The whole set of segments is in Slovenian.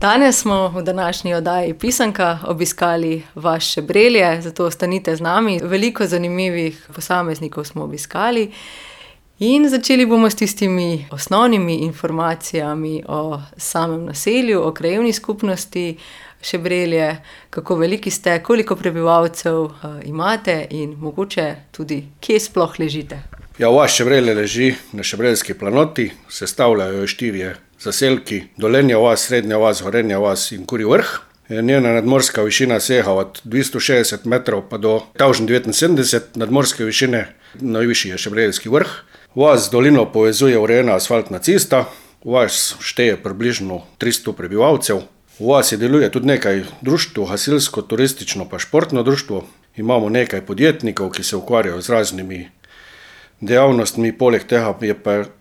Danes smo v današnji oddaji Pisanka obiskali vaš Šebrelje, zato ostanite z nami. Veliko zanimivih posameznikov smo obiskali in začeli bomo s tistimi osnovnimi informacijami o samem naselju, o krajevni skupnosti Šebrelje, kako veliki ste, koliko prebivalcev imate in mogoče tudi, kje sploh ležite. Ja, vas Šebrelje leži na Šebreljski planoti, sestavljajo jo 4 zaselki, Dolenja vas, Srednja vas, Gorenja vas in Kurji Vrh. Njena nadmorska višina sega od 260 metrov pa do 1079 nadmorske višine, najvišji je Šebreljski Vrh. Vas z dolino povezuje urejena asfaltna cesta, vas šteje približno 300 prebivalcev. V vasi deluje tudi nekaj društev, gasilsko, turistično pa športno društvo. Imamo nekaj podjetnikov, ki se ukvarjajo z raznimi dejavnostmi, poleg tega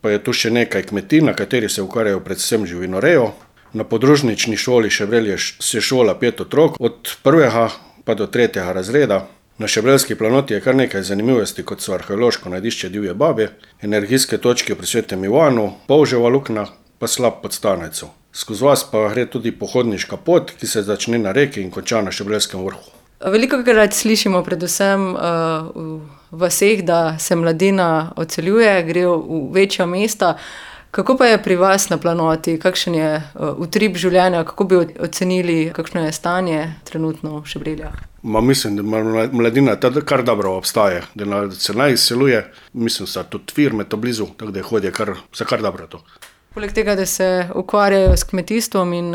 pa je tu še nekaj kmetij, na kateri se ukvarjajo predvsem živinorejo. Na podružnični šoli Šebrelje se šola 5 otrok, od 1. pa do 3. razreda. Na Šebreljski planoti je kar nekaj zanimivosti, kot so arheološko najdišče Divje babe, energijske točke pri Svetem Ivanu, Polževa luknja pa slap pod Stanejco. Skozi vas pa gre tudi pohodniška pot, ki se začne na reki in konča na Šebreljskem vrhu. Velikokrat slišimo predvsem v vaseh, da se mladina odseljuje, gre v večja mesta. Kako pa je pri vas na planoti? Kakšen je utrip življenja? Kako bi ocenili, kakšno je stanje trenutno v Šebreljah? Mislim, da mladina kar dobro obstaja, da se naj izseljuje. Mislim, da tudi firme to blizu, tako da hodijo kar dobro to. Poleg tega, da se ukvarjajo s kmetijstvom in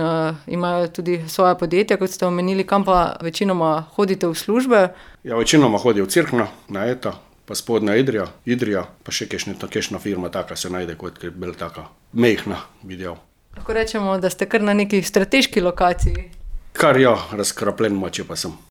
imajo tudi svoje podjetja, kot ste omenili, kam pa večinoma hodite v službe? Ja, večinoma hodijo v Cerkno, na Eta, pa Spodnja Idrija, pa še kakšna firma taka se najde, kot je bila taka mehna, videl. Lahko rečemo, da ste kar na neki strateški lokaciji? Kar ja, razkrapljen moče pa sem.